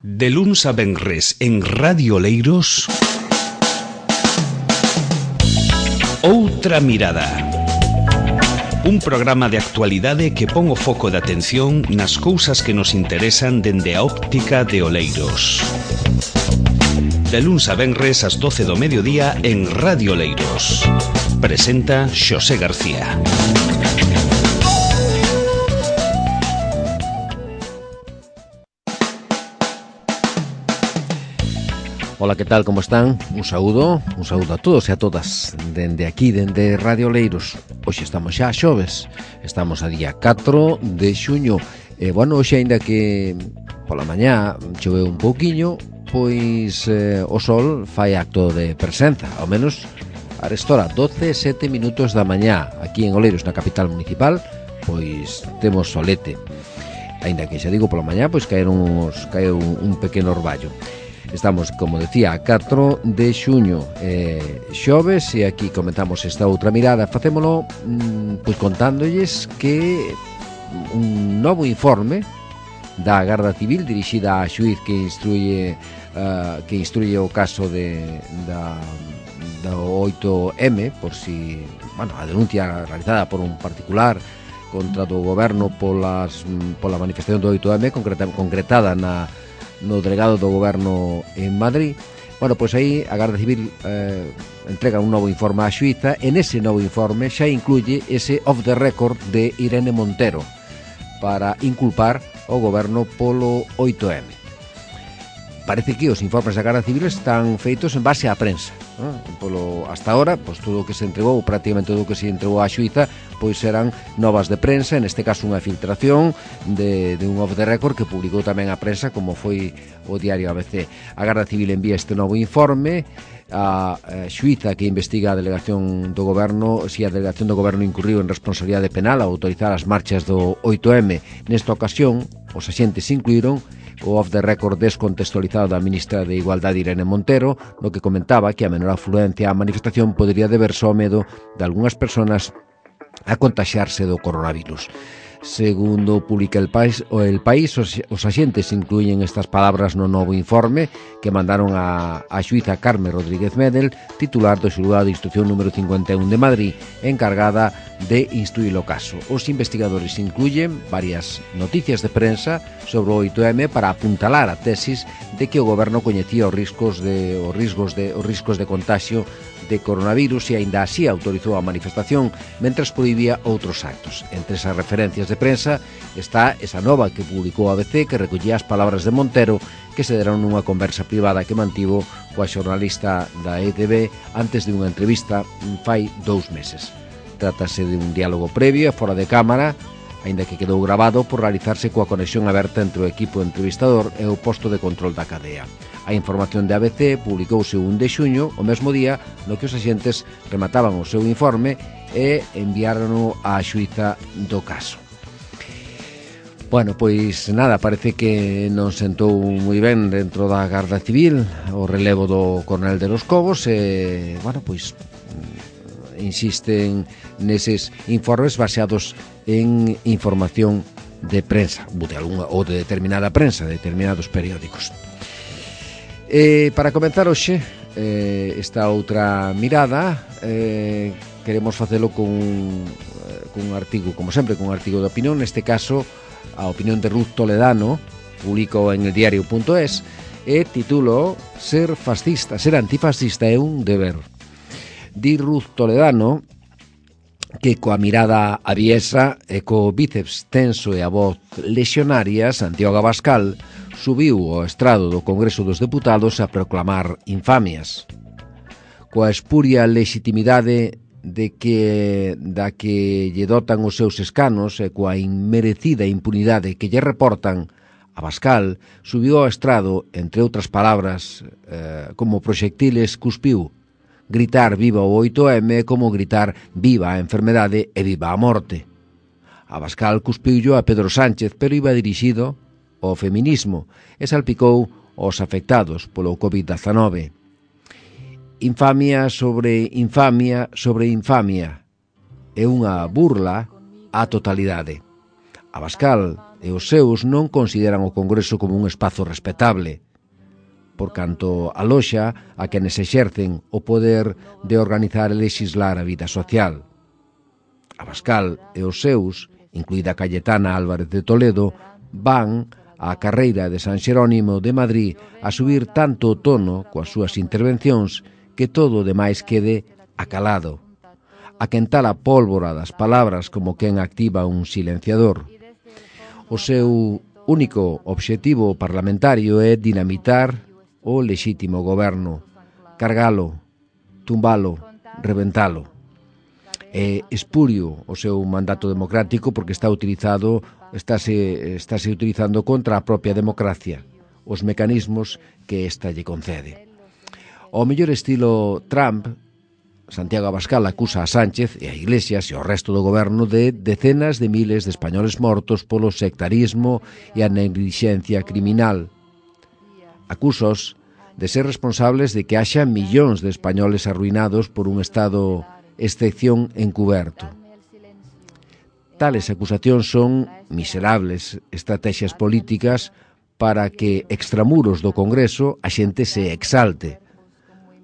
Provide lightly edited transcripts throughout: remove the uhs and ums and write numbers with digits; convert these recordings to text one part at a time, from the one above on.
De luns a venres en Radio Oleiros, Outra Mirada. Un programa de actualidade que pon o foco de atención nas cousas que nos interesan dende a óptica de Oleiros. De luns a venres ás 12 do mediodía en Radio Oleiros. Presenta Xosé García. Ola, que tal, como están? Un saúdo a todos e a todas dende aquí, dende Radio Oleiros. Hoxe estamos xa a xoves, estamos a día 4 de xuño. Hoxe, aínda que pola mañá choveu un pouquiño, pois o sol fai acto de presenza, ao menos a restora 12:07 minutos da mañá. Aquí en Oleiros, na capital municipal, pois temos solete. Aínda que xa digo, pola mañá, pois caeu un pequeno orballo. Estamos, como decía, a 4 de xuño, xoves, e aquí comentamos esta outra mirada. Facémolo pois contándolles que un novo informe da Garda Civil dirixida á xuíz que instruye o caso da 8M, por si, a denuncia realizada por un particular contra do goberno pola manifestación do 8M concretada no delegado do goberno en Madrid. Pois aí a Garda Civil entrega un novo informe á xuíza, e nese novo informe xa incluye ese off the record de Irene Montero para inculpar o goberno polo 8M. Parece que os informes da Garda Civil están feitos en base á prensa, hasta ahora, pois todo o que se entregou, prácticamente todo o que se entregou á xuíza, pois eran novas de prensa, neste caso unha filtración de un off the record que publicou tamén a prensa, como foi o diario ABC. A Garda Civil envía este novo informe a xuíza que investiga a delegación do goberno, si a delegación do goberno incurriu en responsabilidade penal ao autorizar as marchas do 8M. Nesta ocasión, os axentes incluíron o off the record descontextualizado da ministra de Igualdade Irene Montero, no que comentaba que a menor afluencia á manifestación podería deberse ao medo de algunhas persoas a contaxiarse do coronavirus. Segundo publica El País, os axentes incluyen estas palabras no novo informe que mandaron a xuíza Carme Rodríguez Medel, titular do xulgado de instrucción número 51 de Madrid, encargada de instruir o caso. Os investigadores incluyen varias noticias de prensa sobre o 8M para apuntalar a tesis de que o goberno coñecía os riscos de contagio de coronavirus e aínda así autorizou a manifestación mentres prohibía outros actos. Entre esas referencias de prensa está esa nova que publicou a ABC, que recollía as palabras de Montero que se deron nunha conversa privada que mantivo coa xornalista da ETV antes de unha entrevista fai 2 meses. Trátase de un diálogo previo e fora de cámara, aínda que quedou grabado por realizarse coa conexión aberta entre o equipo entrevistador e o posto de control da cadea. A información de ABC publicouse o 1 de xuño, o mesmo día no que os axentes remataban o seu informe e enviárono á xuíza do caso. Pois nada, parece que non sentou moi ben dentro da Garda Civil o relevo do coronel de los Cobos e, insisten neses informes baseados en información de prensa ou de determinada prensa, de determinados periódicos. Para comenzar hoxe esta outra mirada, queremos facelo con un artigo, como sempre, con un artigo de opinión. Neste caso, a opinión de Ruth Toledano, publicou en el diario.es, e titulo Ser antifascista é un deber. Di Ruth Toledano que coa mirada aviesa e co bíceps tenso e a voz lexionaria, Santiago Abascal subiu ao estrado do Congreso dos Deputados a proclamar infamias. Coa espuria legitimidade da que lle dotan os seus escanos e coa inmerecida impunidade que lle reportan, Abascal subiu ao estrado, entre outras palabras, como proxectiles cuspiu. Gritar viva o 8M é como gritar viva a enfermedade e viva a morte. Abascal cuspiullo a Pedro Sánchez, pero iba dirixido ao feminismo e salpicou aos afectados polo COVID-19. Infamia sobre infamia sobre infamia. É unha burla á totalidade. Abascal e os seus non consideran o Congreso como un espazo respetable, por canto aloxa a quenes exercen o poder de organizar e lexislar a vida social. Abascal e os seus, incluída Cayetana Álvarez de Toledo, van á carreira de San Xerónimo de Madrid a subir tanto o tono coas súas intervencións que todo o demais quede acalado, a quentar a pólvora das palabras como quen activa un silenciador. O seu único obxectivo parlamentario é dinamitar o lexítimo goberno, cargalo, tumbalo, reventalo. É espurio o seu mandato democrático porque estáse utilizando contra a propia democracia, os mecanismos que esta lle concede. Ao mellor estilo Trump, Santiago Abascal acusa a Sánchez e a Iglesias e ao resto do goberno de decenas de miles de españoles mortos polo sectarismo e a neglixencia criminal. Acúsaos de ser responsables de que haxa millóns de españoles arruinados por un estado excepción encuberto. Tales acusacións son miserables estrategias políticas para que extramuros do Congreso a xente se exalte.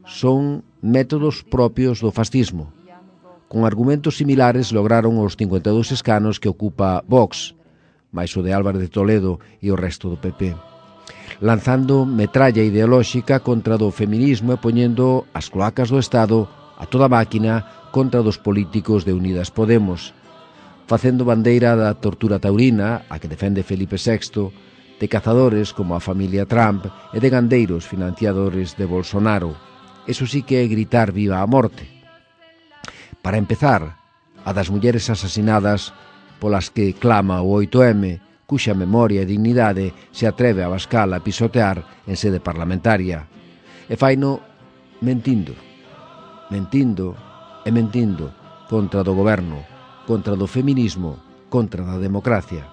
Son métodos propios do fascismo. Con argumentos similares lograron os 52 escanos que ocupa Vox, máis o de Álvarez de Toledo e o resto do PP, lanzando metralla ideolóxica contra do feminismo e poñendo as cloacas do Estado a toda máquina contra dos políticos de Unidas Podemos, facendo bandeira da tortura taurina, a que defende Felipe VI, de cazadores como a familia Trump e de gandeiros financiadores de Bolsonaro. Eso sí que é gritar viva a morte. Para empezar, a das mulleres asasinadas polas que clama o 8M, cuxa memoria e dignidade se atreve a Abascal a pisotear en sede parlamentaria. E faino mentindo contra do goberno, contra do feminismo, contra da democracia,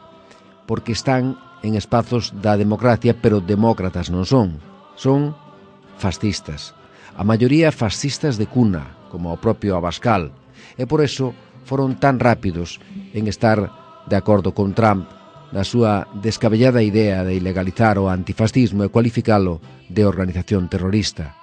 porque están en espazos da democracia, pero demócratas non son fascistas. A maioría fascistas de cuna, como o propio Abascal, e por eso foron tan rápidos en estar de acordo con Trump na súa descabellada idea de ilegalizar o antifascismo e cualificalo de organización terrorista.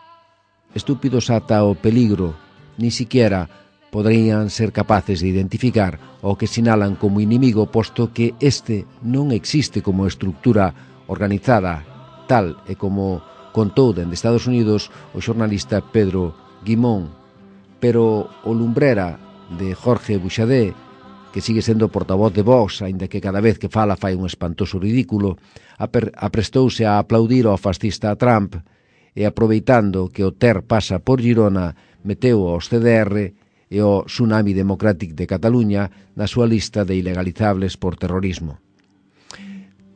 Estúpidos ata o peligro, ni siquiera poderían ser capaces de identificar o que sinalan como inimigo, posto que este non existe como estructura organizada, tal e como contou dende Estados Unidos o xornalista Pedro Guimón, pero o lumbrera de Jorge Buxadé, que sigue sendo portavoz de Vox, aínda que cada vez que fala fai un espantoso ridículo, aprestouse a aplaudir ao fascista Trump e, aproveitando que o Ter pasa por Girona, meteu aos CDR e o Tsunami Democratic de Cataluña na súa lista de ilegalizables por terrorismo.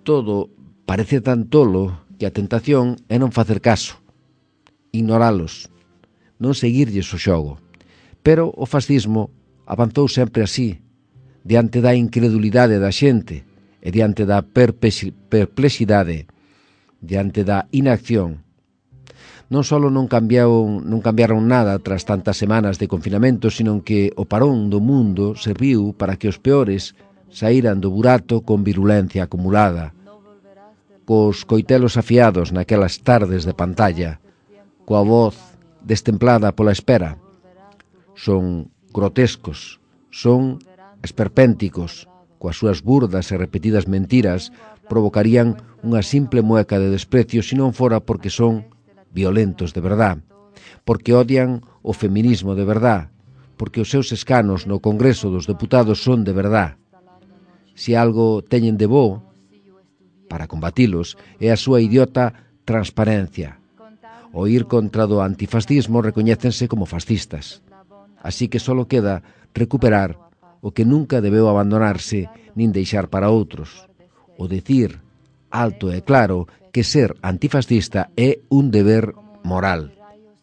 Todo parece tan tolo que a tentación é non facer caso, ignoralos, non seguirlles o xogo. Pero o fascismo avanzou sempre así, diante da incredulidade da xente e diante da perplexidade, diante da inacción. Non só non cambiaron nada tras tantas semanas de confinamento, sino que o parón do mundo serviu para que os peores saíran do burato con virulencia acumulada, cos coitelos afiados naquelas tardes de pantalla, coa voz destemplada pola espera. Son grotescos, son esperpénticos, coas súas burdas e repetidas mentiras provocarían unha simple mueca de desprecio se non fora porque son violentos de verdad, porque odian o feminismo de verdad, porque os seus escanos no Congreso dos Deputados son de verdad. Se algo teñen de bo para combatilos é a súa idiota transparencia. O ir contra do antifascismo recoñécense como fascistas. Así que só queda recuperar o que nunca debeu abandonarse nin deixar para outros, o decir alto e claro que ser antifascista é un deber moral.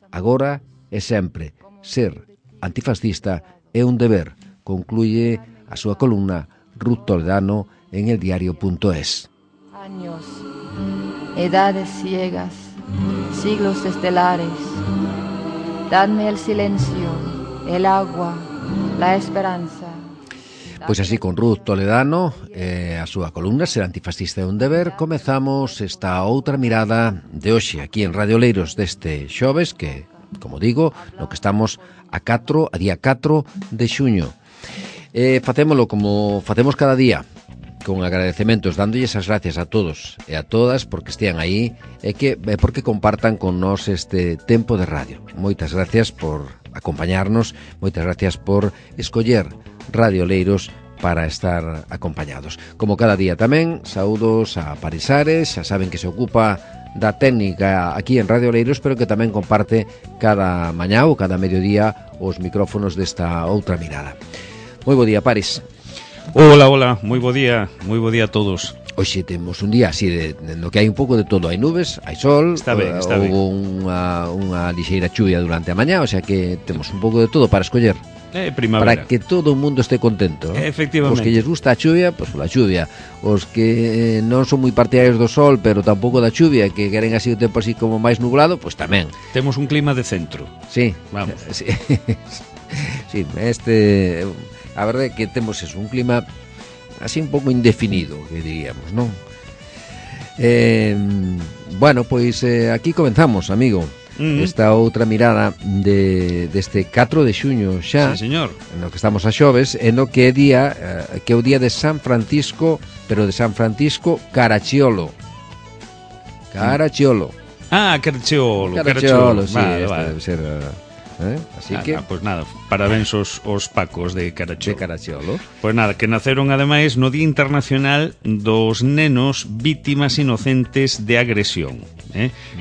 Agora e sempre, ser antifascista é un deber, concluye a súa columna Ruth Toledano en eldiario.es. Años, edades ciegas, siglos estelares, dadme el silencio, el agua, la esperanza. Pois así, con Ruth Toledano a súa columna Ser antifascista é un deber, comezamos esta outra mirada de hoxe aquí en Radio Oleiros deste xoves que, como digo, no que estamos a día 4 de xuño. Facémolo como facemos cada día, con agradecementos, dándolles as gracias a todos e a todas porque estean aí e porque compartan con nós este tempo de radio. Moitas gracias por acompañarnos, moitas gracias por escoller Radio Oleiros para estar acompañados. Como cada día tamén, saúdos a Paris Ares, xa saben que se ocupa da técnica aquí en Radio Oleiros, pero que tamén comparte cada mañá ou cada mediodía os micrófonos desta outra mirada. Moi bo día, Paris. Hola, moi bo día a todos. Hoxe temos un día así no que hai un pouco de todo, hai nubes, hai sol, está ben. Houve unha lixeira chuvia durante a mañá, o sea que temos un pouco de todo para escoller. Primavera. Para que todo o mundo este contento, ¿no? Efectivamente. Os que lles gusta a chuvia, pois pola chuvia. Os que non son moi partidarios do sol, pero tampouco da chuvia, que queren así o tempo así como máis nublado, pois tamén. Temos un clima de centro. Sí. Vamos. Sí, sí, a verdade é que temos eso, un clima así un pouco indefinido, que diríamos, non? Bueno, pois aquí comenzamos, amigo. Esta outra mirada deste 4 de xuño xa, sí, señor. No que estamos a xoves, e no que é día que é o día de San Francisco, pero de San Francisco Caracciolo. Caracciolo, sí, vale. Debe ser así que pues nada, parabéns aos pacos de Caracciolo. Pues nada, que naceron ademais no Día Internacional dos Nenos Vítimas Inocentes de Agresión,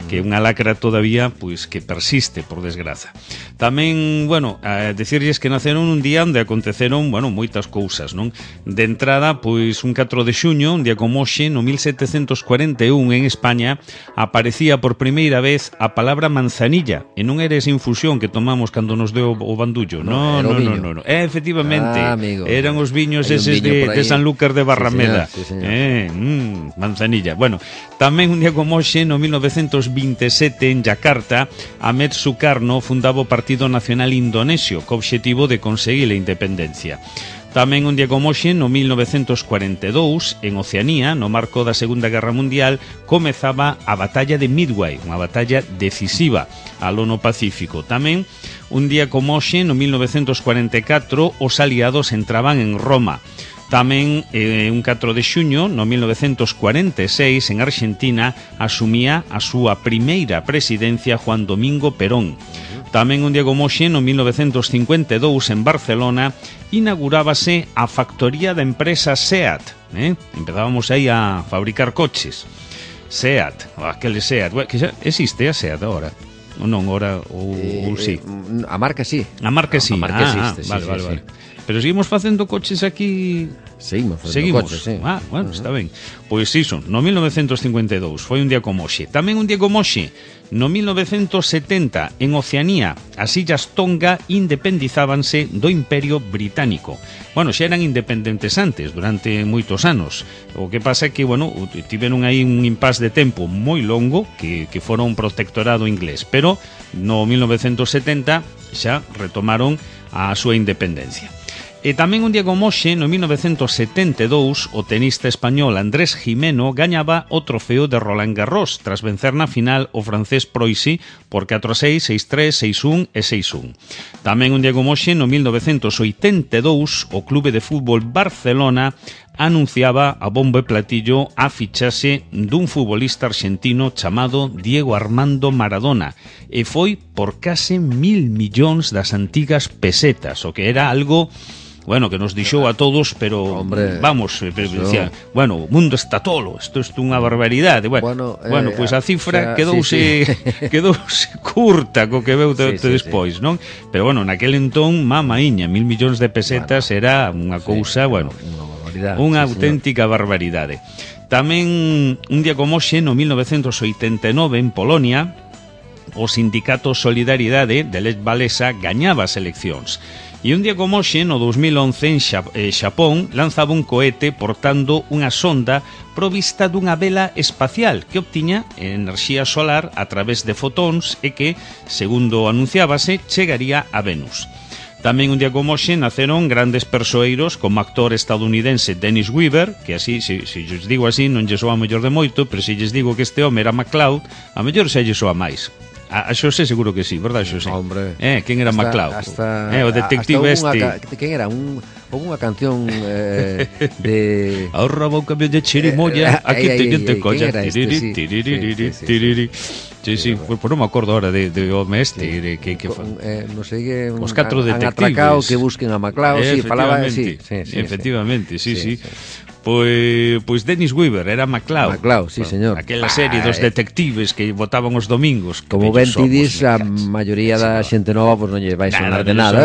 que é unha lacra todavía pois que persiste, por desgraza. Tamén, bueno, a decirlles que naceron un día onde aconteceron, bueno, moitas cousas, non? De entrada, pois un 4 de xuño, un día como hoxe, no 1741 en España, aparecía por primeira vez a palabra manzanilla, e non era esa infusión que tomamos cando nos deu o bandullo. No. Efectivamente, eran os viños eses de Sanlúcar de Barrameda. Sí, señor. Manzanilla. Bueno, tamén un día como hoxe, no 1927, en Yakarta, Ahmed Sukarno fundaba o Partido Nacional Indonesio, co obxectivo de conseguir a independencia. Tamén un día como hoxe, no 1942, en Oceanía, no marco da Segunda Guerra Mundial, comezaba a Batalla de Midway, unha batalla decisiva aló no Pacífico. Tamén un día como hoxe, no 1944, os aliados entraban en Roma. Tamén un 4 de xuño, no 1946, en Argentina, asumía a súa primeira presidencia Juan Domingo Perón. Tamén un día como hoxe, no 1952, en Barcelona, inaugurábase a factoría da empresa SEAT. Empezábamos aí a fabricar coches. SEAT, aquele SEAT, que xa existe a SEAT agora. Ou non, agora, ou sí. A marca sí. A marca sí. A marca existe, vale. Pero seguimos facendo coches aquí. Seguimos facendo coches, sí. Bueno, está ben. Pois iso, no 1952 foi un día como hoxe. Tamén un día como hoxe, no 1970, en Oceanía, as illas Tonga independizábanse do Imperio Británico. Bueno, xa eran independentes antes, durante moitos anos. O que pasa é que, bueno, tiveron aí un impás de tempo moi longo que fora un protectorado inglés, pero no 1970 xa retomaron a súa independencia. E tamén un día como hoxe, no 1972, o tenista español Andrés Jimeno gañaba o trofeo de Roland Garros tras vencer na final o francés Proisi por 4-6, 6-3, 6-1 e 6-1. Tamén un día como hoxe, no 1982, o Clube de Fútbol Barcelona anunciaba a bombo e platillo a fichaxe dun futbolista argentino chamado Diego Armando Maradona, e foi por case 1.000 millóns das antigas pesetas, o que era algo, bueno, que nos dixou a todos, pero hombre, vamos, decía, bueno, o mundo está tolo, isto é unha barbaridade. Bueno, pois a cifra quedouse curta co que veu despois, non? Pero bueno, naquel entón, mamaíña, 1.000 millóns de pesetas era unha cousa, bueno, unha auténtica barbaridade. Tamén un día como hoxe, no 1989, en Polonia, o sindicato Solidaridade de Lech Walesa gañaba as eleccións. E un día como hoxe, no 2011, en Xapón, lanzaba un cohete portando unha sonda provista dunha vela espacial que obtiña enerxía solar a través de fotóns e que, segundo anunciábase, chegaría a Venus. Tamén un día como hoxe naceron grandes persoeiros como actor estadounidense Dennis Weaver, que así, se lles digo así, non lle soa mellor de moito, pero se lles digo que este home era MacLeod, a mellor se lle soa máis. A Xosé seguro que sí, verdad, Xosé? Hombre. Quen era MacLeod? O detective Quen era? Unha canción de... Ahorra un cambio de chirimoya, aquí te colla. Sí, pues non me acordo ahora de home este que non sei que os catro detectives atracado que busquen a MacLeod, sí, falaba así. Efectivamente, sí. Pois Dennis Weaver era MacLeod. MacLeod, sí, señor. Aquela serie dos detectives que botaban os domingos. Como ben ti dis, a maioría da xente nova non lle vai sonar de nada,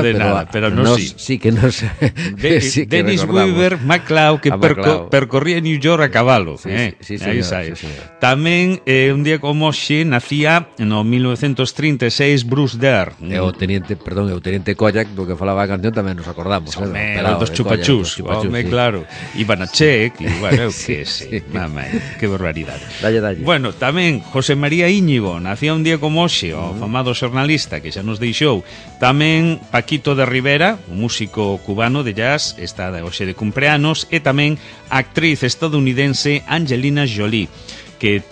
pero nos sí que nos Dennis Weaver, MacLeod, que percorría New York a cabalo. Sí, señor. Tamén un día como hoxe nacía no 1936 Bruce Dare. O teniente Koyak, do que falaba a canción tamén nos acordamos. Dos chupachús, claro. Ivanacek, e bueno, que sei, mamá, que barbaridade. Dalle. Bueno, tamén José María Íñigo nacía un día como hoxe, o famado xornalista que xa nos deixou. Tamén Paquito de Rivera, un músico cubano de jazz, está hoxe de cumpleanos, e tamén a actriz estadounidense Angelina Jolie, que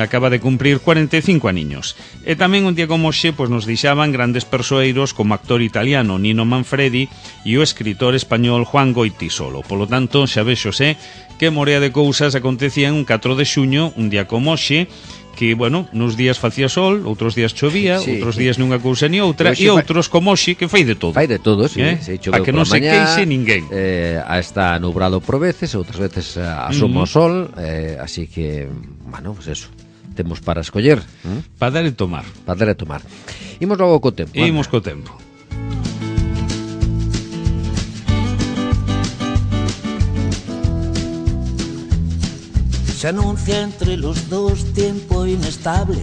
acaba de cumprir 45 aniños. E tamén un día como hoxe nos deixaban grandes persoeiros como actor italiano Nino Manfredi e o escritor español Juan Goytisolo. Polo tanto, xa vexose que morea de cousas acontecían un 4 de xuño, un día como hoxe, que, bueno, nos días facía sol, outros días chovía, outros días nunha cousa ni outra, e outros como hoxe que fai de todo. Fai de todo, sí. Para que non se queixe ninguén. Está nublado por veces, outras veces asoma o sol, así que, bueno, pues eso, temos para escoller. Para dar e tomar. Imos logo co tempo. Imos co tempo. Se anuncia entre los dos tiempo inestable.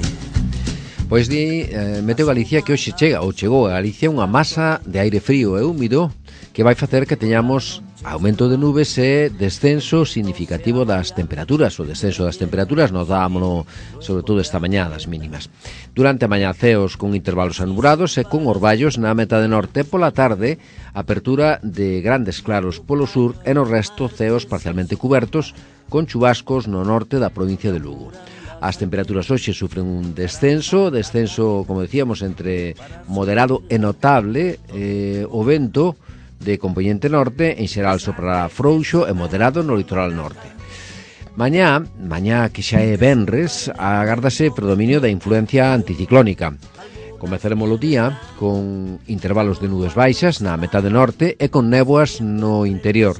Pois Meteo Galicia que hoxe chegou a Galicia unha masa de aire frío e húmido que vai facer que teñamos aumento de nubes e descenso significativo das temperaturas. O descenso das temperaturas notámono sobre todo esta mañá das mínimas. Durante a mañá ceos con intervalos anubrados e con orballos na metade norte, pola tarde apertura de grandes claros polo sur e no resto ceos parcialmente cubertos con chubascos no norte da provincia de Lugo. As temperaturas hoxe sufren un descenso, como decíamos, entre moderado e notable, o vento de componente norte en xeral soprará frouxo e moderado no litoral norte. Mañá que xa é venres, agárdase predominio da influencia anticiclónica. Comezaremos o día con intervalos de nubes baixas na metade norte e con néboas no interior.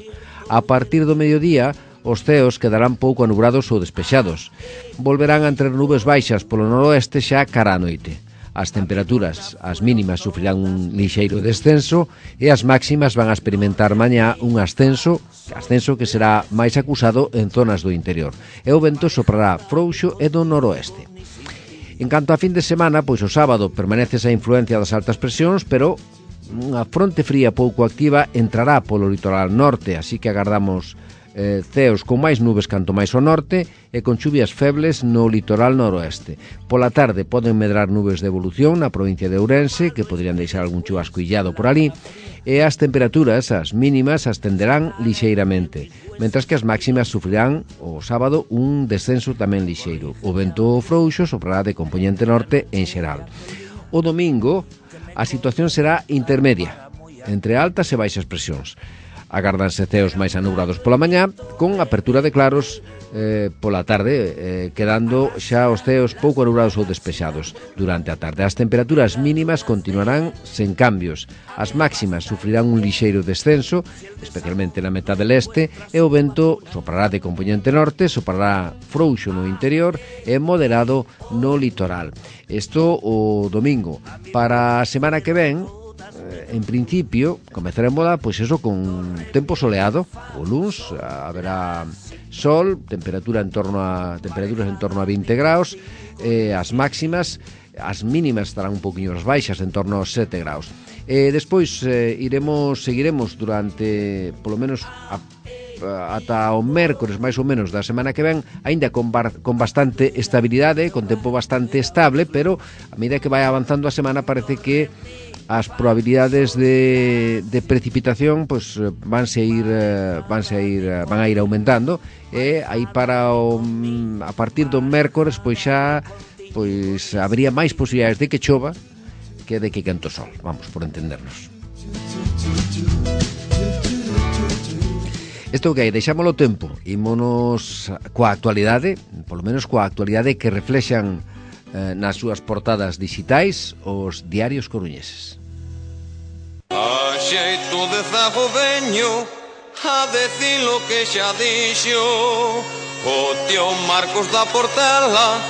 A partir do mediodía, os ceos quedarán pouco anubrados ou despexados. Volverán a entrar nubes baixas polo noroeste xa cara a noite. As temperaturas, as mínimas, sufrirán un lixeiro descenso e as máximas van a experimentar mañá un ascenso que será máis acusado en zonas do interior. E o vento soprará frouxo e do noroeste. En canto a fin de semana, pois o sábado permanece esa influencia das altas presións, pero unha fronte fría pouco activa entrará polo litoral norte, así que agardamos ceos con máis nubes canto máis ao norte e con chuvias febles no litoral noroeste. Pola tarde poden medrar nubes de evolución na provincia de Ourense, que poderían deixar algún chubasco illado por ali, e as temperaturas, as mínimas, ascenderán lixeiramente, mentras que as máximas sufrirán o sábado un descenso tamén lixeiro. O vento frouxo soprará de componente norte en xeral. O domingo a situación será intermedia, entre altas e baixas presións. Agárdanse ceos máis anubrados pola mañá, con apertura de claros pola tarde, quedando xa os ceos pouco anubrados ou despexados durante a tarde. As temperaturas mínimas continuarán sen cambios. As máximas sufrirán un lixeiro descenso, especialmente na metade leste, e o vento soprará de componente norte, soprará frouxo no interior e moderado no litoral. Isto o domingo. Para a semana que ven, en principio, comezaremos pois eso con tempo soleado. O luns haberá sol, temperaturas en torno a 20 graus, as máximas, as mínimas estarán un poquinho baixas, en torno aos 7 graus. Despois seguiremos durante polo menos a ata o mércores máis ou menos da semana que ven, aínda con bastante estabilidade, con tempo bastante estable, pero a medida que vai avanzando a semana parece que as probabilidades de precipitación pues van a ir aumentando, e aí para a partir do mércores pois xa habría máis posibilidades de que chova que de que quente o sol, vamos, por entendernos. Isto que hai, deixámolo tempo, ímonos coa actualidade, polo menos coa actualidade que reflexan nas súas portadas digitais os diarios coruñeses. A xeito de zago veño a decir lo que xa dixo o tío Marcos da Portela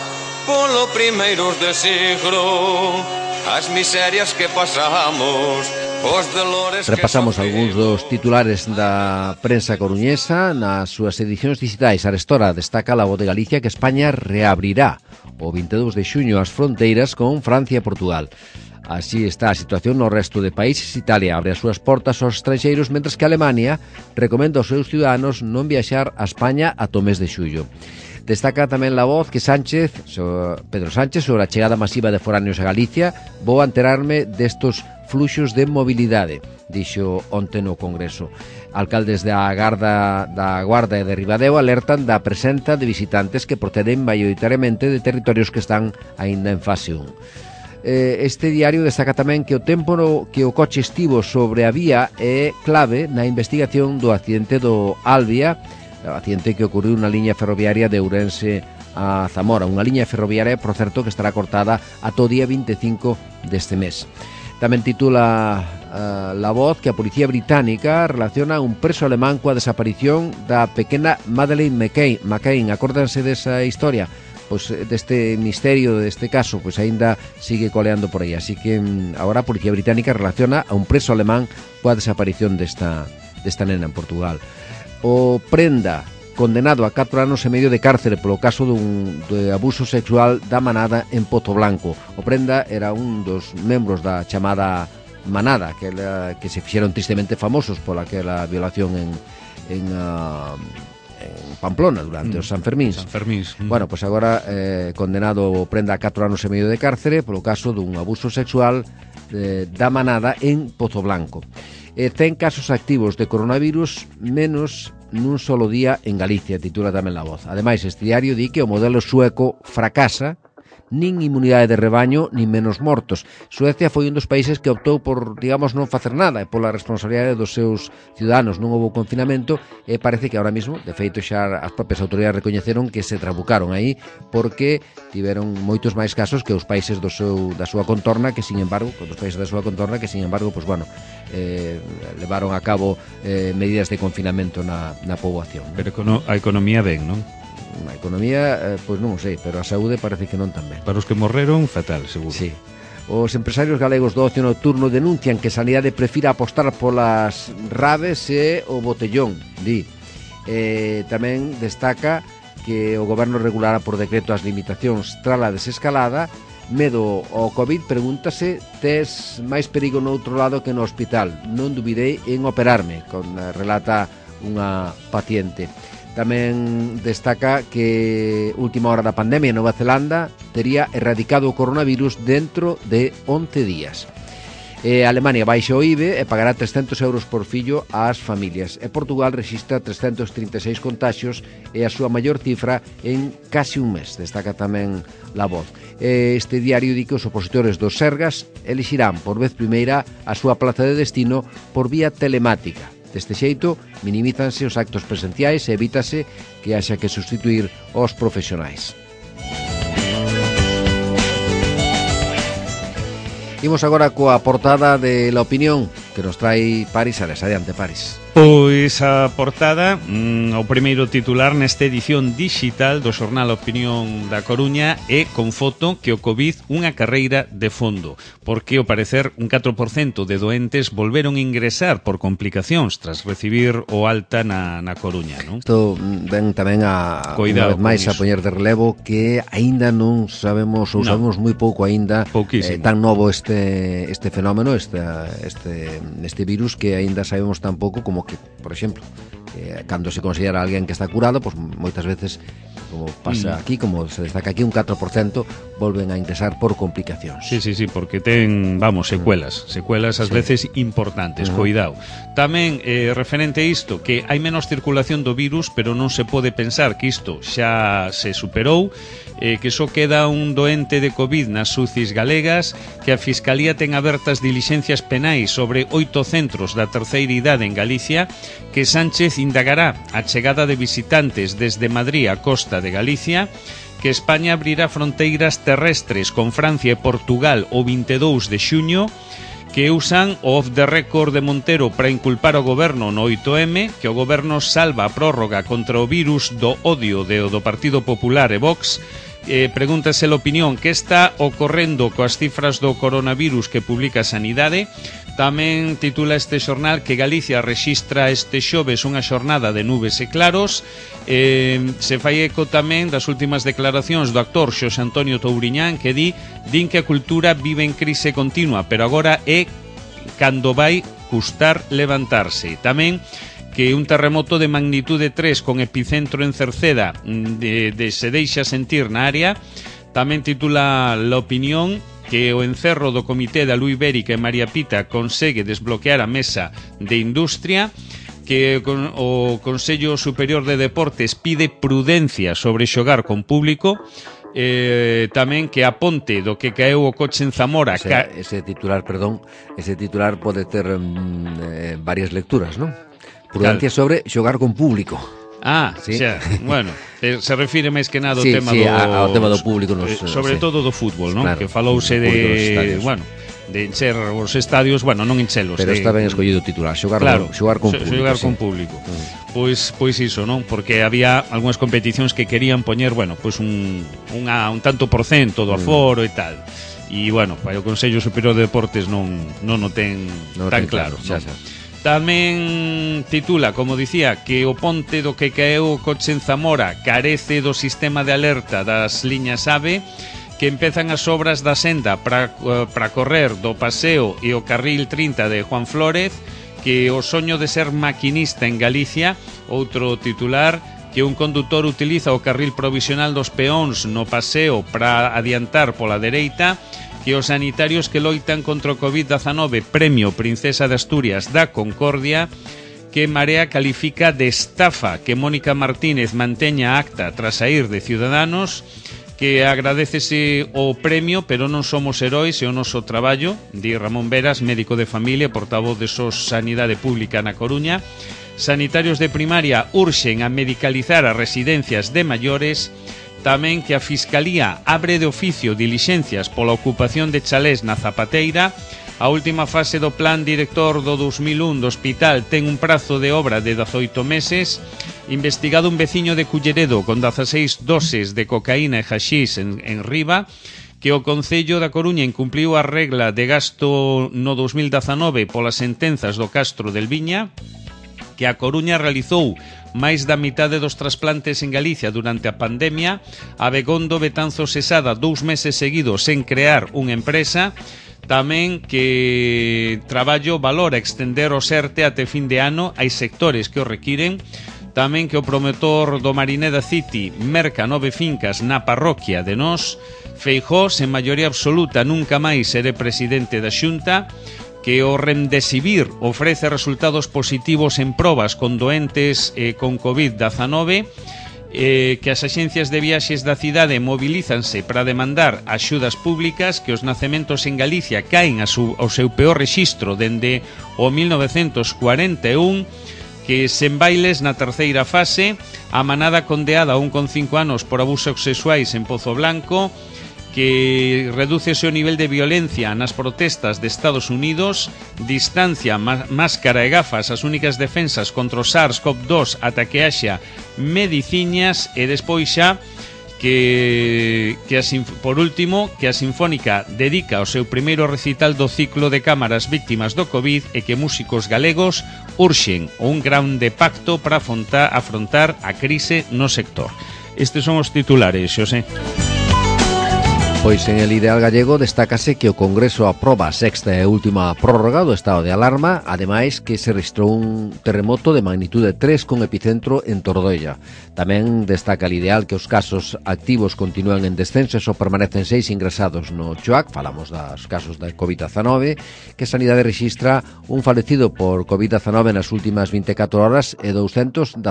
polo primeiros de siglo, as miserias que pasamos, os dolores. Repasamos algúns dos titulares da prensa coruñesa nas súas edicións digitais. Arestora destaca La Voz de Galicia que España reabrirá o 22 de xuño as fronteiras con Francia e Portugal. Así está a situación no resto de países. Italia abre as súas portas aos estranxeiros, mentres que Alemania recomenda aos seus ciudadanos non viaxar a España ata o mes de xullo. Destaca tamén La Voz que Pedro Sánchez, sobre a chegada masiva de foráneos a Galicia: vou enterarme destos fluxos de mobilidade, dixo onte no Congreso. Alcaldes da Guarda e de Ribadeo alertan da presenza de visitantes que proceden maioritariamente de territorios que están aínda en fase 1. Este diario destaca tamén que o tempo que o coche estivo sobre a vía é clave na investigación do accidente do Albia, o accidente que ocurriu na liña ferroviaria de Ourense a Zamora, unha liña ferroviaria, por certo, que estará cortada ata o día 25 deste mes. Tamén titula La Voz que a policía británica relaciona un preso alemán coa desaparición da pequena Madeleine McCain. Acórdanse desa historia? Pois deste misterio, deste caso, pois aínda sigue coleando por aí. Así que agora a policía británica relaciona a un preso alemán coa desaparición desta nena en Portugal. O Prenda, condenado a 4 anos e medio de cárcere polo caso de abuso sexual da Manada en Pozo Blanco. O Prenda era un dos membros da chamada Manada, que se fixeron tristemente famosos pola aquela violación en Pamplona durante os Sanfermíns. Bueno, pois agora condenado o Prenda a 4 anos e medio de cárcere polo caso dun abuso sexual da Manada en Pozo Blanco. 100 casos activos de coronavirus menos nun solo día en Galicia, titula tamén La Voz. Ademais, este diario di que o modelo sueco fracasa, nin inmunidade de rebaño, nin menos mortos. Suecia foi un dos países que optou por, digamos, non facer nada, e pola responsabilidade dos seus ciudadanos non houve confinamento, e parece que ahora mesmo, de feito, xa as propias autoridades recoñeceron que se trabucaron aí, porque tiveron moitos máis casos que os países da súa contorna, que, sin embargo, pues, bueno, levaron a cabo medidas de confinamento na poboación. Pero a economía ben, non? A economía, pois non o sei, pero a saúde parece que non tan ben. Para os que morreron, fatal, seguro. Sí. Os empresarios galegos do ocio nocturno denuncian que Sanidade prefira apostar polas raves e o botellón, di. Tamén destaca que o goberno regulará por decreto as limitacións tras a desescalada. Medo ao Covid, pregúntase: tes máis perigo no outro lado que no hospital? Non dubidei en operarme, relata unha paciente. Tamén destaca que última hora da pandemia en Nova Zelanda tería erradicado o coronavirus dentro de 11 días. Alemania baixa o IVE e pagará 300 euros por fillo ás familias. E Portugal rexistra 336 contaxios e a súa maior cifra en casi un mes. Destaca tamén La Voz. Este diario di que os opositores dos Sergas elixirán por vez primeira a súa plaza de destino por vía telemática. Deste xeito, minimízanse os actos presenciais e evítase que haxa que sustituir os profesionais. Imos agora coa portada de La Opinión, que nos trae Paris Ares. Adiante, Paris. Pois a portada, o primeiro titular nesta edición digital do xornal Opinión da Coruña é con foto que o Covid unha carreira de fondo, porque ao parecer un 4% de doentes volveron ingresar por complicacións tras recibir o alta na Coruña, non? Isto ven tamén a unha vez máis a poñer de relevo que aínda non sabemos ou sabemos moi pouco aínda, tan novo este fenómeno, este virus, que aínda sabemos tan pouco como que, por exemplo, cando se considera alguén que está curado, pois moitas veces, como pasa aquí, como se destaca aquí, un 4% volven a ingresar por complicacións. Sí, porque ten, secuelas ás veces importantes, cuidado. Tamén, referente a isto, que hai menos circulación do virus, pero non se pode pensar que isto xa se superou, que só queda un doente de COVID nas UCIs galegas, que a Fiscalía ten abertas dilixencias penais sobre 8 centros da terceira idade en Galicia, que Sánchez indagará a chegada de visitantes desde Madrid a Costa de Galicia, que España abrirá fronteiras terrestres con Francia e Portugal o 22 de xuño, que usan o off the record de Montero para inculpar ao goberno no 8M, que o goberno salva a prórroga contra o virus do odio do Partido Popular e Vox. Pregúntase a opinión que está ocorrendo coas cifras do coronavirus que publica Sanidade. Tamén titula este xornal que Galicia rexistra este xoves unha xornada de nubes e claros. Se fai eco tamén das últimas declaracións do actor Xosé Antonio Touriñán, que din que a cultura vive en crise continua, pero agora é cando vai custar levantarse. Tamén que un terremoto de magnitude 3 con epicentro en Cerceda se deixa sentir na área. Tamén titula La Opinión que o encerro do Comité da Luz Ibérica e María Pita consegue desbloquear a mesa de industria, que o Consello Superior de Deportes pide prudencia sobre xogar con público. Tamén que a ponte do que caeu o coche en Zamora. Ese titular pode ter varias lecturas, non? Prudencia sobre xogar con público. Sí. Se refire máis que nada ao tema ao tema do público sobre todo do fútbol, non? Claro, que falouse de encher os estadios, non enchelos. Pero está ben escollido o titular, xogar con público. Pois iso, non? Porque había algunhas competicións que querían poñer, un tanto por cento do aforo e tal. E, o Consello Superior de Deportes non o ten tan claro. Tamén titula, como dicía, que o ponte do que caeu o coche en Zamora carece do sistema de alerta das liñas AVE, que empezan as obras da senda para correr do Paseo e o carril 30 de Juan Flórez, que o soño de ser maquinista en Galicia. Outro titular, que un condutor utiliza o carril provisional dos peóns no Paseo para adiantar pola dereita, que os sanitarios que loitan contra o COVID-19 Premio Princesa de Asturias da Concordia, que Marea califica de estafa que Mónica Martínez manteña acta tras saír de Ciudadanos, que agradecese o premio, pero non somos heróis e o noso traballo, di Ramón Veras, médico de familia, portavoz de SOS Sanidade Pública na Coruña. Sanitarios de primaria urxen a medicalizar as residencias de maiores. Tamén que a Fiscalía abre de oficio dilixencias pola ocupación de chalés na Zapateira. A última fase do plan director do 2001 do hospital ten un prazo de obra de 18 meses. Investigado un veciño de Culleredo con 16 doses de cocaína e haxís en Riba. Que o Concello da Coruña incumpliu a regla de gasto no 2019 polas sentenzas do Castro del Viña. Que a Coruña realizou máis da mitade dos trasplantes en Galicia durante a pandemia. A Begondo Betanzo cesada 2 meses seguidos sen crear unha empresa. Tamén que Traballo valora extender o SERTE até fin de ano. Hai sectores que o requiren. Tamén que o promotor do Marineda City merca 9 fincas na parroquia de Nós. Feijóo, sen maioría absoluta, nunca máis seré presidente da Xunta. Que o Remdesivir ofrece resultados positivos en probas con doentes con COVID-19, que as axencias de viaxes da cidade mobilízanse para demandar axudas públicas, que os nacementos en Galicia caen ao seu peor rexistro dende o 1941, que sen bailes na terceira fase, a manada condeada a 1,5 anos por abusos sexuais en Pozo Blanco, que redúcese o nivel de violencia nas protestas de Estados Unidos, distancia, máscara e gafas as únicas defensas contra o SARS-CoV-2 ata que haxa mediciñas, e despois xa por último, que a Sinfónica dedica o seu primeiro recital do ciclo de cámaras víctimas do COVID e que músicos galegos urxen un grande pacto para afrontar a crise no sector. Estes son os titulares, Xosé. Pois en el ideal gallego destácase que o Congreso aproba a sexta e última prórroga do estado de alarma, ademais que se registrou un terremoto de magnitude 3 con epicentro en Tordoella. Tamén destaca el ideal que os casos activos continúan en descenso e só permanecen 6 ingresados no CHOAC, falamos dos casos da COVID-19, que Sanidade rexistra un falecido por COVID-19 nas últimas 24 horas e 219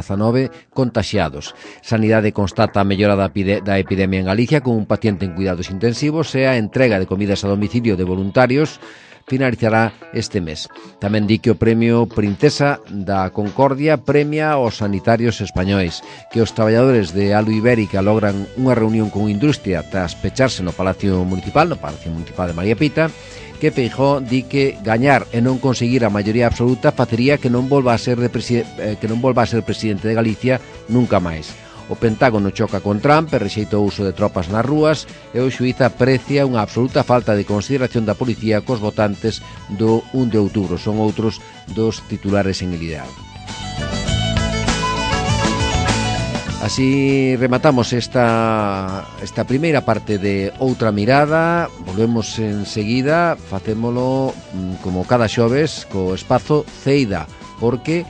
contaxiados. Sanidade constata a mellora da epidemia en Galicia con un paciente en cuidados intensivos e a entrega de comidas a domicilio de voluntarios finalizará este mes. Tamén di que o premio Princesa da Concordia premia aos sanitarios españois, que os traballadores de Alu Ibérica logran unha reunión con industria tras pecharse no Palacio Municipal de María Pita, que Feijóo di que gañar e non conseguir a maioría absoluta facería que non volva a ser presidente de Galicia nunca máis. O Pentágono choca con Trump e rexeita o uso de tropas nas rúas e o xuíz aprecia unha absoluta falta de consideración da policía cos votantes do 1 de outubro. Son outros dos titulares en el ideal. Así rematamos esta primeira parte de Outra Mirada. Volvemos enseguida, facémolo como cada xoves co espazo Ceida, porque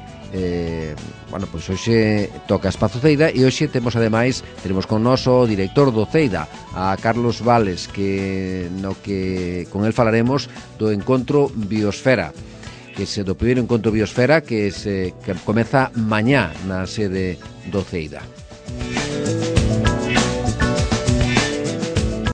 pois hoxe toca Espazo Ceida e hoxe temos con nós o director do Ceida, a Carlos Vales, que con el falaremos do encontro Biosfera, do primeiro encontro Biosfera que comeza mañá na sede do Ceida.